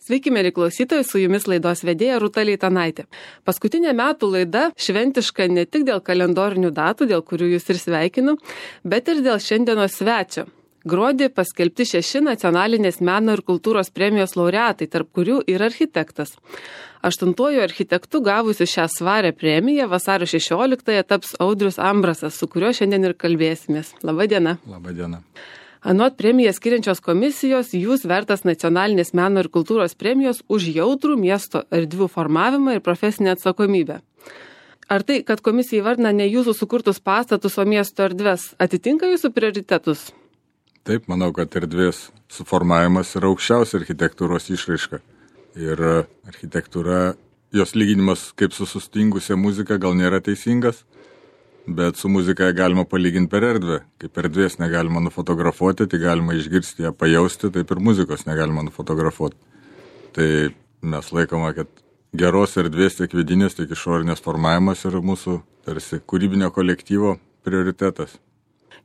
Sveiki, mėly klausytojai, su jumis laidos vedėja Rūta Leitanaitė. Paskutinė metų laida šventiška ne tik dėl kalendorinių datų, dėl kurių jūs ir sveikinu, bet ir dėl šiandienos svečio. Gruodį paskelbti 6 nacionalinės meno ir kultūros premijos laureatai, tarp kurių ir architektas. 8-uoju architektu gavusiu šią svarę premiją vasario 16-ąją taps Audrius Ambrasas, su kuriuo šiandien ir kalbėsimės. Labą dieną. Labą dieną. Anot premiją skiriančios komisijos, jūs vertas nacionalinės meno ir kultūros premijos už jautrų miesto erdvių formavimą ir profesinę atsakomybę. Ar tai, kad komisija įvardina ne jūsų sukurtus pastatus, o miesto erdves, atitinka jūsų prioritetus? Taip, manau, kad erdvės suformavimas yra aukščiausia architektūros išraiška. Ir architektūra, jos lyginimas kaip su sustingusia muzika gal nėra teisingas, bet su muzika galima palyginti per erdvę. Kaip erdvės negalima nufotografuoti, tai galima išgirsti ją, pajausti, taip ir muzikos negalima nufotografuoti. Tai mes laikoma, kad geros erdvės tiek vidinės, tiek išorinės formavimas yra mūsų tarsi kūrybinio kolektyvo prioritetas.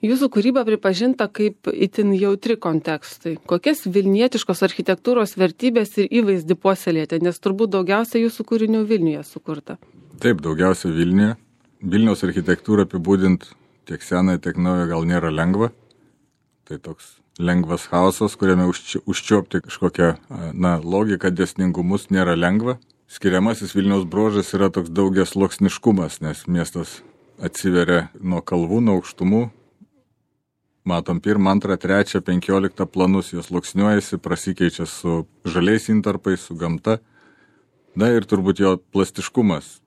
Jūsų kūryba pripažinta kaip itin jautri kontekstui. Kokias vilnietiškos architektūros vertybės ir įvaizdį puoselėjate, nes turbūt daugiausia jūsų kūrinių Vilniuje sukurta? Taip, daugiausia Vilniuje. Vilniaus architektūrą apibūdinti tiek senąją, tiek naują gal nėra lengva. Tai toks lengvas chaosas, kuriame užčiuopti kažkokią logiką, dėsningumus nėra lengva. Skiriamasis Vilniaus bruožas yra toks daugiasluoksniškumas, nes miestas atsiveria nuo kalvų, nuo aukštumų. Matom 1, 2, 3, 15 planus, jos sluoksniuojasi, prasikeičia su žaliais intarpais, su gamta. Na ir turbūt jo plastiškumas.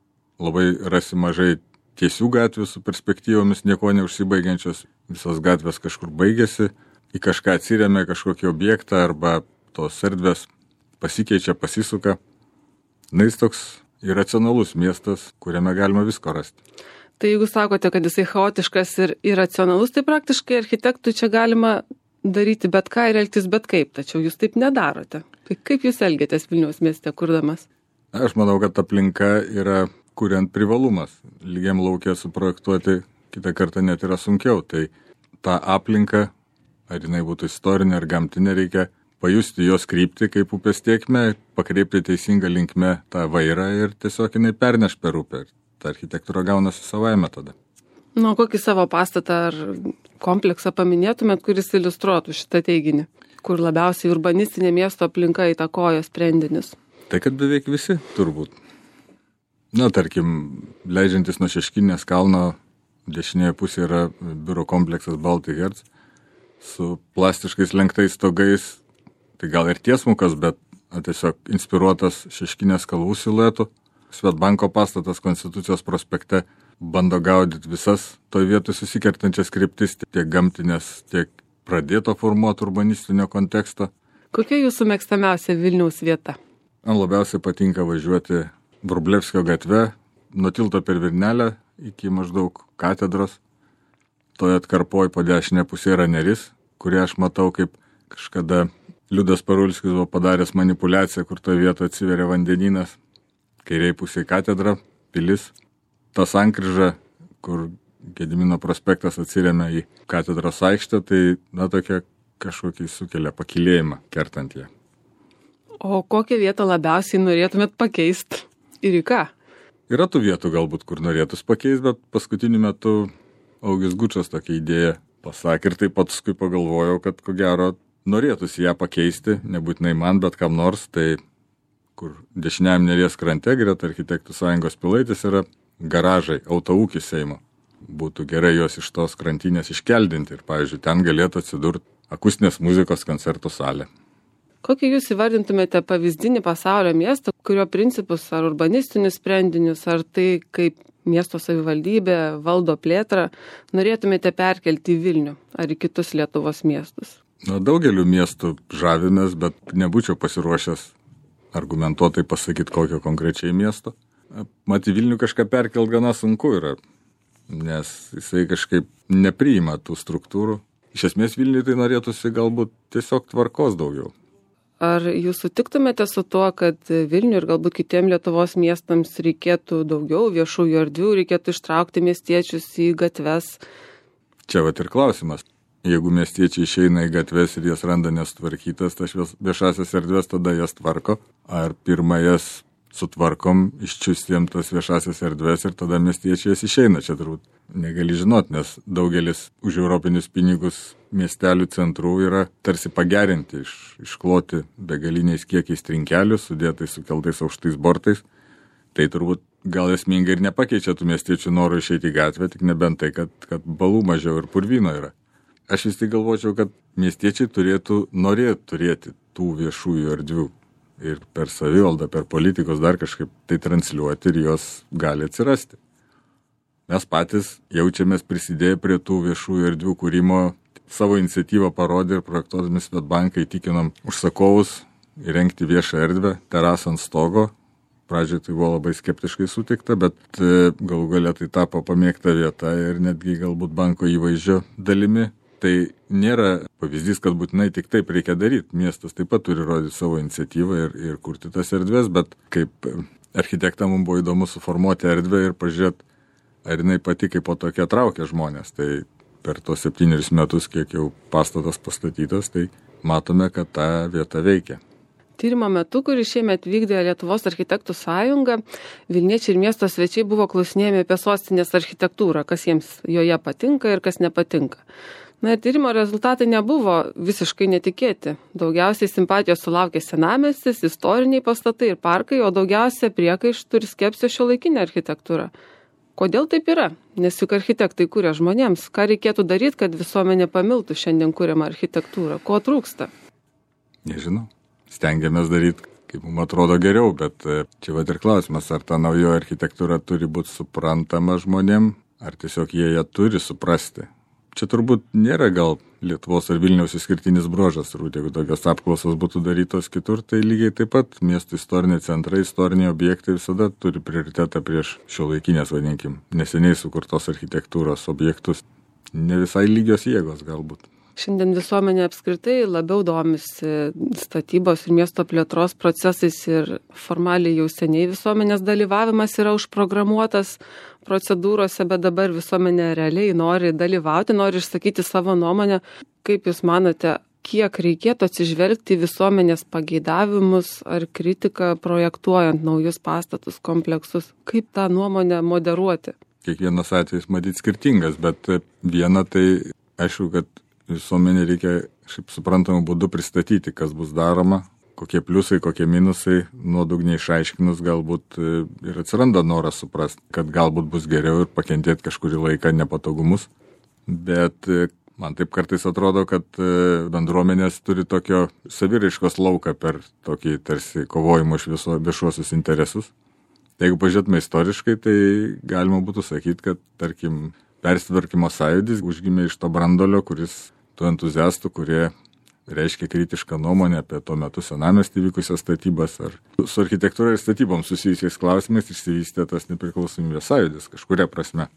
Labai rasi mažai tiesių gatvių su perspektyvomis, nieko neužsibaigiančios. Visos gatvės kažkur baigėsi, į kažką atsiremia kažkokį objektą arba tos erdvės pasikeičia, pasisuka. Na, jis toks iracionalus miestas, kuriame galima visko rasti. Tai jeigu sakote, kad jisai chaotiškas ir iracionalus, tai praktiškai architektui čia galima daryti bet ką ir elgtis bet kaip, tačiau jūs taip nedarote. Tai kaip jūs elgiatės Vilniaus mieste kurdamas? Aš manau, kad aplinka yra kuriant privalumas. Lygiam lauke suprojektuoti kitą kartą net yra sunkiau. Tai tą aplinką, ar jinai būtų istorinė ar gamtinė, reikia pajusti jos kryptį kaip upės tėkmę, pakreipti teisingą linkmę tą vairą ir tiesiog jinai perneš per upę. Ta architektūra gaunasi savaime tada. Nu, kokį savo pastatą ar kompleksą paminėtumėt, kuris iliustruotų šitą teiginį, kur labiausiai urbanistinė miesto aplinka įtakoja sprendinius? Tai kad beveik visi, turbūt. Na, tarkim, leidžiantis nuo Šeškinės kalno, dešinėje pusėje yra biuro kompleksas Baltic Hertz su plastiškais lenktais stogais, tai gal ir tiesmukas, bet tiesiog inspiruotas Šeškinės kalvų siluetų. Svetbanko pastatas Konstitucijos prospekte bando gaudyti visas toj vietoj susikertančias kryptis, tiek gamtinės, tiek pradėto formuoti urbanistinio konteksto. Kokia jūsų mėgstamiausia Vilniaus vieta? Man labiausiai patinka važiuoti Vrublevskio gatve, nuo tilto per Virnelę iki maždaug katedros. Toje atkarpoje po dešinę pusę yra Neris, kurį aš matau kaip kažkada Liudas Parulskis buvo padaręs manipulaciją, kur toje vietoje atsiveria vandenynas. Kairiai pusėje katedra, pilis, ta sankryža, kur Gedimino prospektas atsiremia į katedros aikštę, tai tokia kažkokį sukelia pakilėjimą kertant ją. O kokią vietą labiausiai norėtumėt pakeisti ir į ką? Yra tų vietų galbūt, kur norėtus pakeisti, bet paskutiniu metu Augis Gučas tokią idėją pasakė ir taip paskui pagalvojau, kad ko gero norėtųsi ją pakeisti, nebūtinai man, bet kam nors, tai kur dešiniajam Neries krante greta Architektų sąjungos Pilaitės yra garažai, autoūkis Seimo. Būtų gerai juos iš tos krantinės iškeldinti ir, pavyzdžiui, ten galėtų atsidurti akustinės muzikos koncertų salė. Kokį jūs įvardintumėte pavyzdinį pasaulio miestą, kurio principus ar urbanistinius sprendinius, ar tai, kaip miesto savivaldybė valdo plėtrą, norėtumėte perkelti į Vilnių ar į kitus Lietuvos miestus? Daugeliu miestų žavimės, bet nebūčiau pasiruošęs argumentuotai pasakyti kokio konkrečiai miesto. Mat, į Vilnių kažką perkelt gana sunku yra, nes jisai kažkaip nepriima tų struktūrų. Iš esmės Vilniui tai norėtųsi galbūt tiesiog tvarkos daugiau. Ar jūs sutiktumėte su tuo, kad Vilniui ir galbūt kitiem Lietuvos miestams reikėtų daugiau viešųjų erdvių, reikėtų ištraukti miestiečius į gatves? Čia vat ir klausimas. jeigu miestiečiai išeina į gatves ir jas randa nesutvarkytas, tas viešasias erdvės, tada jas tvarko, ar pirmą jas sutvarkom, iščiustėm tas viešasias erdvės ir tada miestiečiai jas išeina. Čia turbūt negali žinot, nes daugelis už europinius pinigus miestelių centrų yra tarsi pagerinti, iškloti begaliniais kiekiais trinkelių, sudėtais sukeltais aukštais bortais. Tai turbūt gal esmingai ir nepakeičia tų miestiečių norų išeiti į gatvę, tik nebent tai, kad balų mažiau ir purvyno yra. Aš vis tik galvočiau, kad miestiečiai turėtų norėti turėti tų viešųjų erdvių. Ir per savivaldą, per politikos dar kažkaip tai transliuoti ir jos gali atsirasti. Mes patys jaučiamės prisidėję prie tų viešųjų erdvių kūrimo, savo iniciatyvą parodė ir projektuodami Swedbanką įtikinom užsakovus įrengti viešą erdvę, terasą ant stogo. Pradžioje tai buvo labai skeptiškai sutikta, bet galų galia tai tapo pamėgta vieta ir netgi galbūt banko įvaizdžio dalimi. Tai nėra pavyzdys, kad būtinai tik taip reikia daryti. Miestas taip pat turi rodyti savo iniciatyvą ir kurti tas erdvės, bet kaip architektam mums buvo įdomu suformuoti erdvę ir pažiūrėti, ar jinai pati kaip po tokia traukia žmonės. Tai per tos 7 metus, kiek jau pastatas pastatytas, tai matome, kad ta vieta veikia. Tyrimo metu, kurį šiemet vykdė Lietuvos architektų sąjunga, Vilniečiai ir miesto svečiai buvo klausinėjami apie sostinės architektūrą, kas jiems joje patinka ir kas nepatinka. Na ir tyrimo rezultatai nebuvo visiškai netikėti. Daugiausiai simpatijos sulaukė senamiestis, istoriniai pastatai ir parkai, o daugiausia priekaištų ir skepsio šiuolaikinė architektūra. Kodėl taip yra? Nes juk architektai kuria žmonėms. Ką reikėtų daryti, kad visuomenė pamiltų šiandien kuriamą architektūrą? Ko trūksta? Nežinau. Stengiamės daryti, kaip mums atrodo geriau, bet čia va ir klausimas, ar ta naujoji architektūra turi būti suprantama žmonėm, ar tiesiog jie ją turi suprasti. Čia turbūt nėra gal Lietuvos ar Vilniaus išskirtinis bruožas, turbūt jeigu tokios apklausos būtų darytos kitur, tai lygiai taip pat miestų istoriniai centrai, istoriniai objektai visada turi prioritetą prieš šiuolaikinės, vadinkim, neseniai sukurtos architektūros objektus. Ne visai lygios jėgos galbūt. Šiandien visuomenė apskritai labiau domisi statybos ir miesto plėtros procesais ir formaliai jau seniai visuomenės dalyvavimas yra užprogramuotas procedūrose, bet dabar visuomenė realiai nori dalyvauti, nori išsakyti savo nuomonę. Kaip Jūs manote, kiek reikėtų atsižvelgti į visuomenės pageidavimus ar kritiką projektuojant naujus pastatus, kompleksus? Kaip tą nuomonę moderuoti? Kiekvienas atvejis matyt skirtingas, bet viena tai aišku, kad visuomenė reikia šiaip suprantamų būdų pristatyti, kas bus daroma, kokie pliusai, kokie minusai, nuodugniai išaiškinus galbūt ir atsiranda noras suprasti, kad galbūt bus geriau ir pakentėti kažkurį laiką nepatogumus. Bet man taip kartais atrodo, kad bendruomenės turi tokio saviraiškos lauką per tokį tarsi kovojimo iš viešuosius interesus. Jeigu pažiūrėtume istoriškai, tai galima būtų sakyti, kad tarkim persitvarkymo sąjūdis užgimė iš to brandolio, kuris tų entuziastų, kurie reiškia kritišką nuomonę apie tuo metu senamiestį vykusias statybas ar su architektūra ir statybom susijusiais klausimais išsivystė tas nepriklausomybės sąjūdis kažkuria prasme.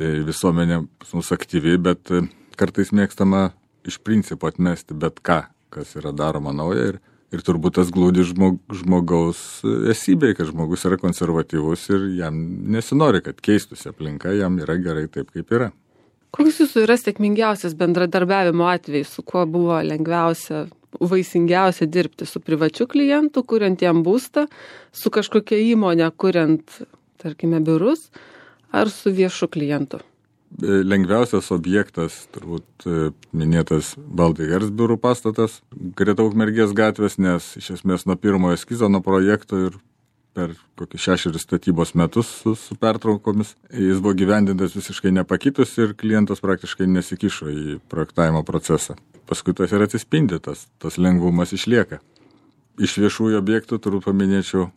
Tai visuomenė mūsų aktyvi, bet kartais mėgstama iš principo atmesti bet ką, kas yra daroma nauja ir turbūt tas glūdi žmogaus esybėje, kad žmogus yra konservatyvus ir jam nesinori, kad keistųsi aplinka, jam yra gerai taip, kaip yra. Koks Jūsų yra sėkmingiausias bendradarbiavimo atvejis, su kuo buvo lengviausia, vaisingiausia dirbti? Su privačiu klientu, kuriant jam būstą, su kažkokia įmonė, kuriant, tarkime, biurus, ar su viešu klientu? Lengviausias objektas, turbūt minėtas Baltai-Hers biurų pastatas, greta Ukmergės gatvės, nes iš esmės nuo pirmojo eskizo, nuo projekto ir per kokį 6 statybos metus su pertraukomis. Jis buvo gyvendintas visiškai nepakitus ir klientas praktiškai nesikišo į projektavimo procesą. Paskui tas ir atsispindi, tas lengvumas išlieka. Iš viešųjų objektų turbūt paminėčiau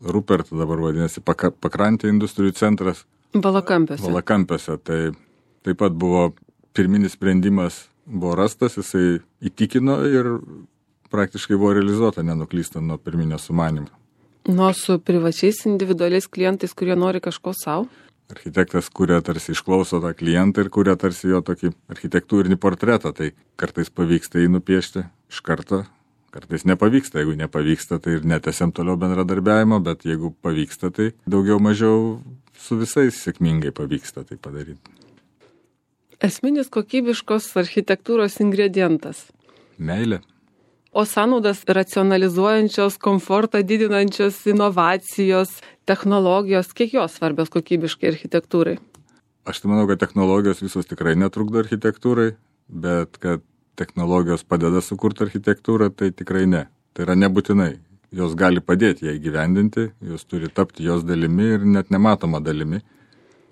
Rupert, dabar vadinasi Pakrantė industrijų centras. Valakampiuose. Tai taip pat buvo pirminis sprendimas buvo rastas, jisai įtikino ir praktiškai buvo realizuota, nenuklystant nuo pirminio sumanimo. Nuo su privačiais individualiais klientais, kurie nori kažko savo? Architektas kuria tarsi išklauso tą klientą ir kuria tarsi jo tokį architektūrinį portretą, tai kartais pavyksta jį nupiešti iš karto, kartais nepavyksta. Jeigu nepavyksta, tai ir netęsiam toliau bendradarbiavimo, bet jeigu pavyksta, tai daugiau mažiau su visais sėkmingai pavyksta tai padaryti. Esminis kokybiškos architektūros ingredientas. Meilė. O sąnaudas racionalizuojančios, komfortą didinančios inovacijos, technologijos, kiek jos svarbios kokybiškai architektūrai? Aš tai manau, kad technologijos visos tikrai netrukdo architektūrai, bet kad technologijos padeda sukurti architektūrą, tai tikrai ne. Tai yra nebūtinai. Jos gali padėti ją įgyvendinti, jos turi tapti jos dalimi ir net nematoma dalimi.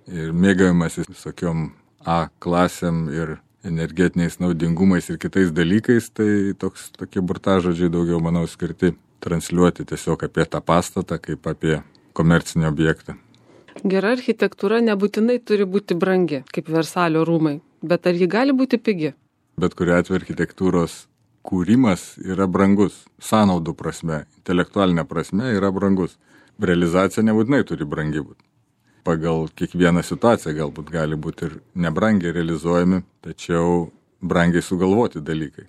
Ir mėgavimasis visokiom A klasėm ir energetiniais naudingumais ir kitais dalykais, tai tokie burtažodžiai daugiau, manau, skirti transliuoti tiesiog apie tą pastatą kaip apie komercinį objektą. Gera architektūra nebūtinai turi būti brangi, kaip Versalio rūmai, bet ar ji gali būti pigi? Bet kuriuo atveju architektūros kūrimas yra brangus, sąnaudų prasme, intelektualinė prasme yra brangus. Realizacija nebūtinai turi brangi būti. Pagal kiekvieną situaciją galbūt gali būti ir nebrangiai realizuojami, tačiau brangiai sugalvoti dalykai.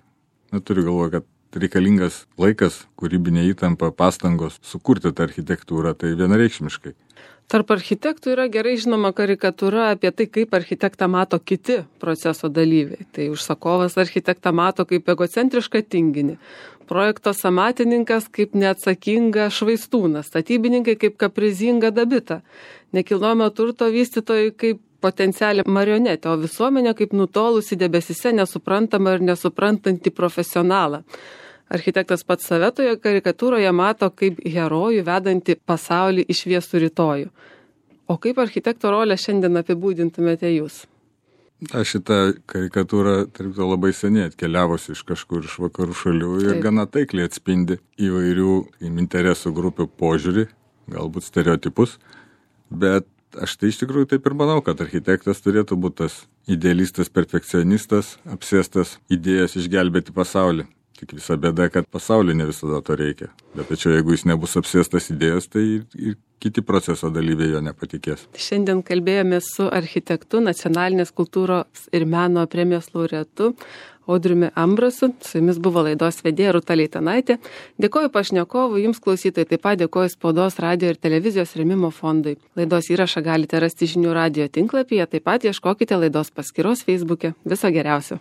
Turiu galvoje, kad reikalingas laikas, kūrybinė įtampa, pastangos sukurti tą architektūrą, tai vienareikšmiškai. Tarp architektų yra gerai žinoma karikatūra apie tai, kaip architektą mato kiti proceso dalyviai. Tai užsakovas architektą mato kaip egocentrišką tinginį, projekto samatininkas kaip neatsakinga švaistūną, statybininkai kaip kaprizingą dabitą, nekilnojamo turto vystytojai kaip potencialią marionetę, o visuomenė kaip nutolusi debesyse nesuprantama ir nesuprantanti profesionalą. Architektas pats save toje karikatūroje mato kaip herojų vedantį pasaulį į šviesų rytojų. O kaip architekto rolę šiandien apibūdintumėte jūs? Šitą karikatūrą, tarp to, labai seniai atkeliavusi iš kažkur iš vakarų šalių ir gana taikliai atspindi įvairių interesų grupių požiūrį, galbūt stereotipus, bet aš tai iš tikrųjų taip ir manau, kad architektas turėtų būti tas idealistas, perfekcionistas, apsėstas idėjas išgelbėti pasaulį. Tik visa bėda, kad pasaulyje ne visada to reikia. Bet tačiau jeigu jis nebus apsėstas idėjos, tai ir kiti proceso dalyviai jo nepatikės. Šiandien kalbėjome su architektu, Nacionalinės kultūros ir meno premijos laureatu Audriumi Ambrasu. Su jumis buvo laidos vedėja Rūta Leitanaitė. Dėkoju pašnekovui, jums klausytojai, taip pat dėkoju Spaudos, radijo ir televizijos rėmimo fondui. Laidos įrašą galite rasti Žinių radijo tinklapyje, taip pat ieškokite laidos paskyros Facebook'e. Viso geriausio.